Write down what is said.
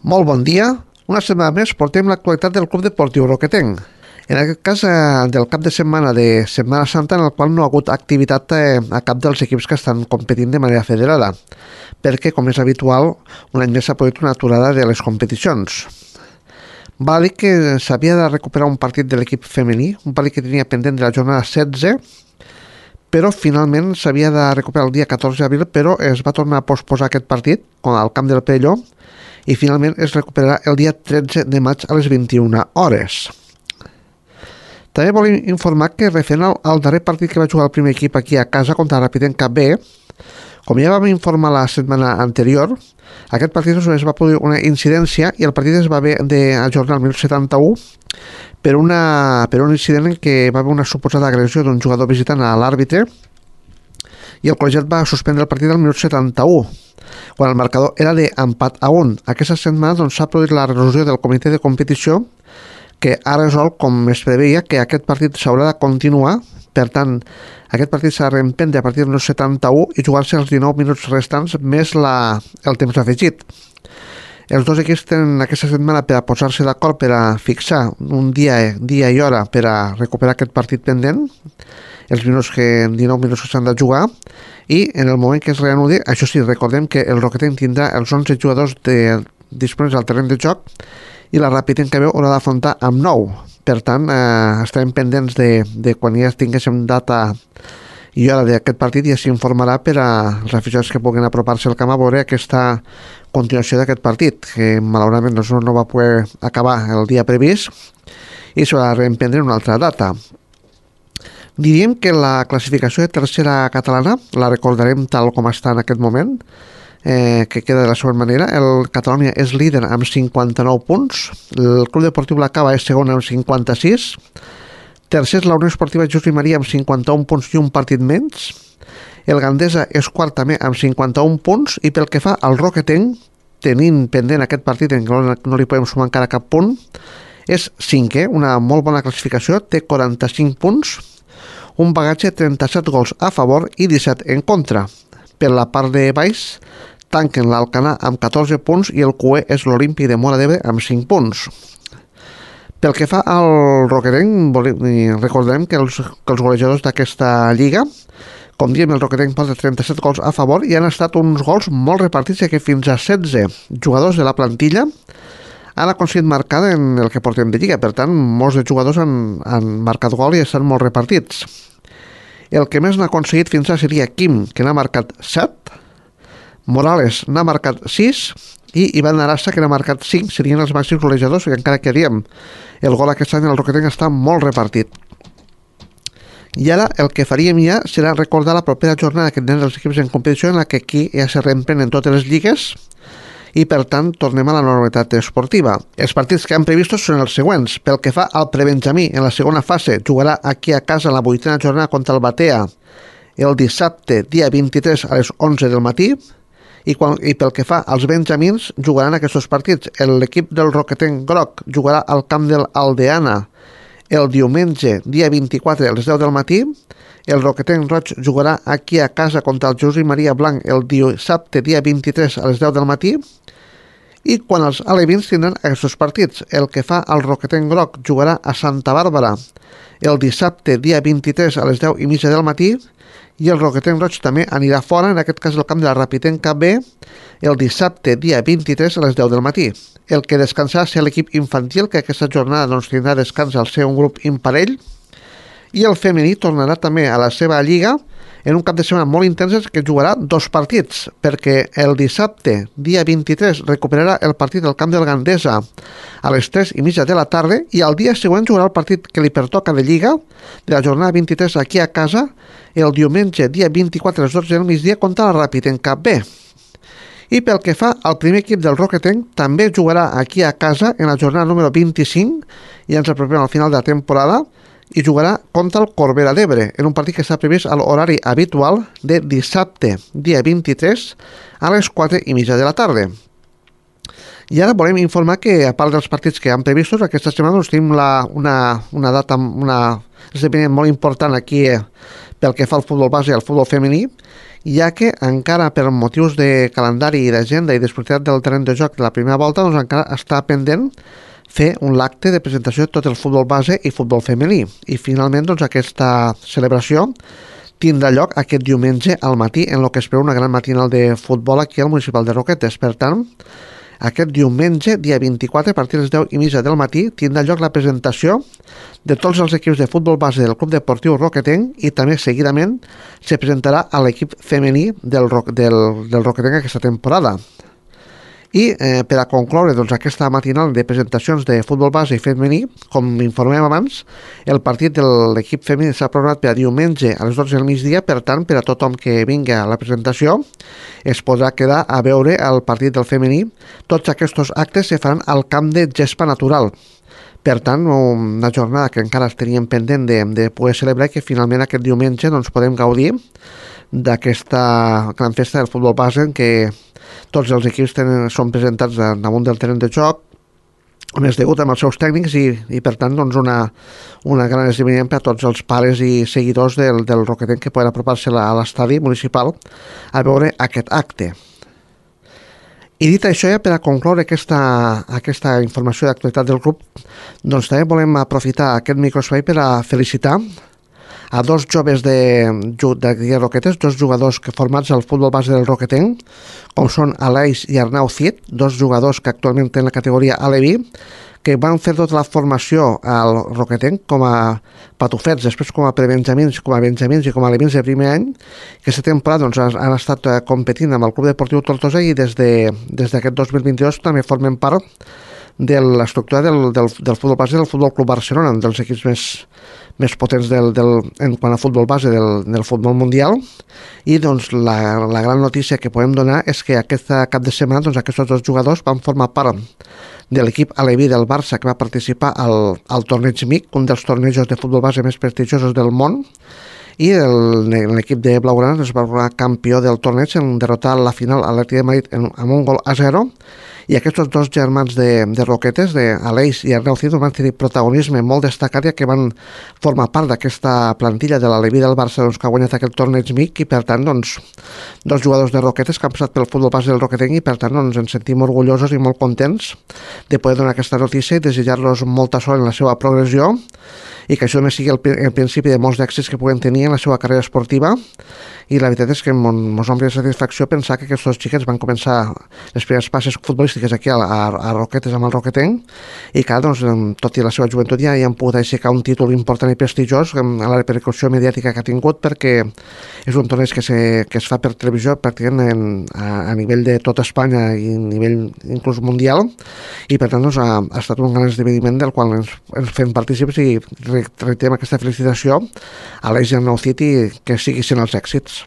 Molt bon dia. Una setmana més portem l'actualitat del Club Deportiu Roquetenc. En aquest cas, del cap de setmana de Setmana Santa, en el qual no ha hagut activitat a cap dels equips que estan competint de manera federada, perquè, com és habitual, un any més s'ha produït una aturada de les competicions. Val a dir que s'havia de recuperar un partit de l'equip femení, un partit que tenia pendent de la jornada 16, però finalment s'havia de recuperar el dia 14 d'abril, però es va tornar a posposar aquest partit al camp del Perelló i finalment es recuperarà el dia 13 de maig a les 21 hores. També volem informar que referent al darrer partit que va jugar el primer equip aquí a casa contra el Rapidenca B, com ja vam informar la setmana anterior, aquest partit es va produir una incidència i el partit es va haver d'ajornar el 1971 per un incident en què va haver una suposada agressió d'un jugador visitant a l'àrbitre i el col·legiat va suspendre el partit al minut 71, quan el marcador era d'empat a 1. Aquesta setmana s'ha produït la resolució del comitè de competició que ha resolt, com es preveia, que aquest partit s'haurà de continuar. Per tant, aquest partit s'ha de reemprendre a partir del 71 i jugar-se els 19 minuts restants més el temps afegit. Els dos equips tenen aquesta setmana per a posar-se d'acord per a fixar un dia i hora per a recuperar aquest partit pendent, els 19 minuts que s'han de jugar, i en el moment que es reanudi, això sí, recordem que el Roquetenc tindrà els 11 jugadors disponibles al terreny de joc i la Rapidenca B haurà d'afrontar amb 9. Per tant, estarem pendents de quan ja tinguéssim data i hora d'aquest partit i s'hi informarà per als aficionats que puguin apropar-se al camp a veure aquesta continuació d'aquest partit, que malauradament no va poder acabar el dia previst i s'haurà de reemprendre en una altra data. Diríem que la classificació de tercera catalana la recordarem tal com està en aquest moment, que queda de la següent manera. El Catalonia és líder amb 59 punts, el Club Deportiu La Cava és segon amb 56, tercer és la Unió Esportiva Josep Maria amb 51 punts i un partit menys, el Gandesa és quart també amb 51 punts i pel que fa al Roquetenc, tenint pendent aquest partit en què no li podem sumar encara cap punt, és cinquè, una molt bona classificació, té 45 punts, un bagatge de 37 gols a favor i 17 en contra. Per la part de baix tanquen l'Alcanar amb 14 punts i el cué és l'Olímpic de Móra d'Ebre amb 5 punts. Pel que fa al Roquetenc, recordarem que els golejadors d'aquesta lliga, com diem, el Roquetenc porta 37 gols a favor i han estat uns gols molt repartits, que fins a 16 jugadors de la plantilla han aconseguit marcar en el que portem de lliga. Per tant, molts de jugadors han marcat gol i estan molt repartits. El que més n'ha aconseguit fins ara seria Quim, que n'ha marcat 7, Morales n'ha marcat 6 i Ivan Arassa, que n'ha marcat 5, serien els màxims golejadors, i encara que diem, el gol aquest any al Roquetenc està molt repartit. I ara el que faríem ja serà recordar la propera jornada que tenen els equips en competició, en la que aquí ja se reemprenen totes les lligues i per tant tornem a la normalitat esportiva. Els partits que han previstos són els següents. Pel que fa al prebenjamí, en la segona fase jugarà aquí a casa la 8a jornada contra el Batea el dissabte dia 23 a les 11 del matí i pel que fa als benjamins jugaran aquests partits. L'equip del Roquetenc Groc jugarà al camp de l'Aldeana el diumenge dia 24 a les 10 del matí, el Roquetenc Roig jugarà aquí a casa contra el Josep Maria Blanc el dissabte dia 23 a les 10 del matí i quan els alevins tindran aquests partits. El que fa al Roquetenc Groc jugarà a Santa Bàrbara el dissabte dia 23 a les 10:30 del matí i el Roquetenc Roig també anirà fora, en aquest cas el camp de la Rapidenca B, el dissabte dia 23 a les 10 del matí. El que descansarà serà l'equip infantil, que aquesta jornada tindrà descans al ser un grup imparell, i el femení tornarà també a la seva lliga en un cap de setmana molt intens que jugarà 2 partits, perquè el dissabte, dia 23, recuperarà el partit del camp del Gandesa a les 3:30 de la tarda i al dia següent jugarà el partit que li pertoca de lliga de la jornada 23 aquí a casa el diumenge, dia 24 a les 12 del migdia contra la Rapidenca B. I pel que fa al primer equip del Roquetenc, també jugarà aquí a casa en la jornada número 25 i ens apropem al final de la temporada i jugarà contra el Corbera d'Ebre en un partit que està previst a l'horari habitual de dissabte, dia 23 a les 4:30 de la tarda. I ara volem informar que, a part dels partits que han previstos, aquesta setmana tenim una data, un esdeveniment molt important aquí pel que fa al futbol base i al futbol femení, ja que encara per motius de calendari i d'agenda i disponibilitat del terreny de joc de la primera volta, doncs encara està pendent fer un acte de presentació de tot el futbol base i futbol femení. I finalment doncs, aquesta celebració tindrà lloc aquest diumenge al matí en el que es preveu una gran matinal de futbol aquí al municipal de Roquetes. Per tant, aquest diumenge, dia 24, a partir de les 10:30 del matí, tindrà lloc la presentació de tots els equips de futbol base del Club Deportiu Roquetenc i també seguidament se presentarà a l'equip femení del Roquetenc aquesta temporada. I per a concloure doncs, aquesta matinal de presentacions de futbol base i femení, com informem abans, el partit de l'equip femení s'ha programat per a diumenge a les 12 del migdia, per tant, per a tothom que vingui a la presentació es podrà quedar a veure el partit del femení. Tots aquests actes se faran al camp de gespa natural. Per tant, una jornada que encara teníem pendent de poder celebrar i que finalment aquest diumenge doncs, podem gaudir d'aquesta gran festa del futbol base en què tots els equips són presentats damunt del terreny de joc, a més degut amb els seus tècnics i per tant doncs una gran esdeveniment per a tots els pares i seguidors del Roquetenc que poden apropar-se a l'estadi municipal a veure aquest acte. I dit això, ja per a concloure aquesta informació d'actualitat del club, doncs també volem aprofitar aquest microespai per a felicitar a dos joves de Roquetes, dos jugadors que formats al futbol base del Roquetenc, com són Aleix i Arnau Cid, dos jugadors que actualment tenen la categoria Aleví, que van fer tota la formació al Roquetenc com a patufets, després com a prebenjamins, com a benjamins i com a alevins de primer any. Aquesta temporada doncs, han estat competint amb el Club Deportiu Tortosa i des d'aquest 2022 també formen part de l'estructura del futbol base del Futbol Club Barcelona, dels equips més potents en quant a futbol base del futbol mundial. I doncs la gran notícia que podem donar és que aquest cap de setmana doncs, aquests dos jugadors van formar part de l'equip aleví del Barça que va participar al torneig MIC, un dels tornejos de futbol base més prestigiosos del món, i l'equip de Blaugrana es va tornar campió del torneig en derrotar la final a l'Atlètic de Madrid amb un gol a 0. I aquests dos germans de Roquetes, Aleix i Arnau Cid, van tenir protagonisme molt destacat ja que van formar part d'aquesta plantilla de l'Aleví del Barça doncs, que ha guanyat aquest torneig MIC i per tant doncs, dos jugadors de Roquetes que han passat pel futbol base del Roquetenc i per tant doncs, ens sentim orgullosos i molt contents de poder donar aquesta notícia i desitjar-los molta sort en la seva progressió i que això només sigui el principi de molts d'èxits que puguen tenir en la seva carrera esportiva. I la veritat és que ens ompli de satisfacció pensar que aquests dos xiquets van començar les primeres passes futbolístiques aquí a Roquetes amb el Roquetenc i que doncs, tot i la seva joventut ja han pogut aixecar un títol important i prestigiós a la repercussió mediàtica que ha tingut perquè és un torneig que es fa per televisió pràcticament a nivell de tota Espanya i a nivell inclús mundial i per tant doncs, ha estat un gran esdeveniment del qual ens fem partícips i reiterem aquesta felicitació a l'Eix i al Nou City que sigui sent els èxits.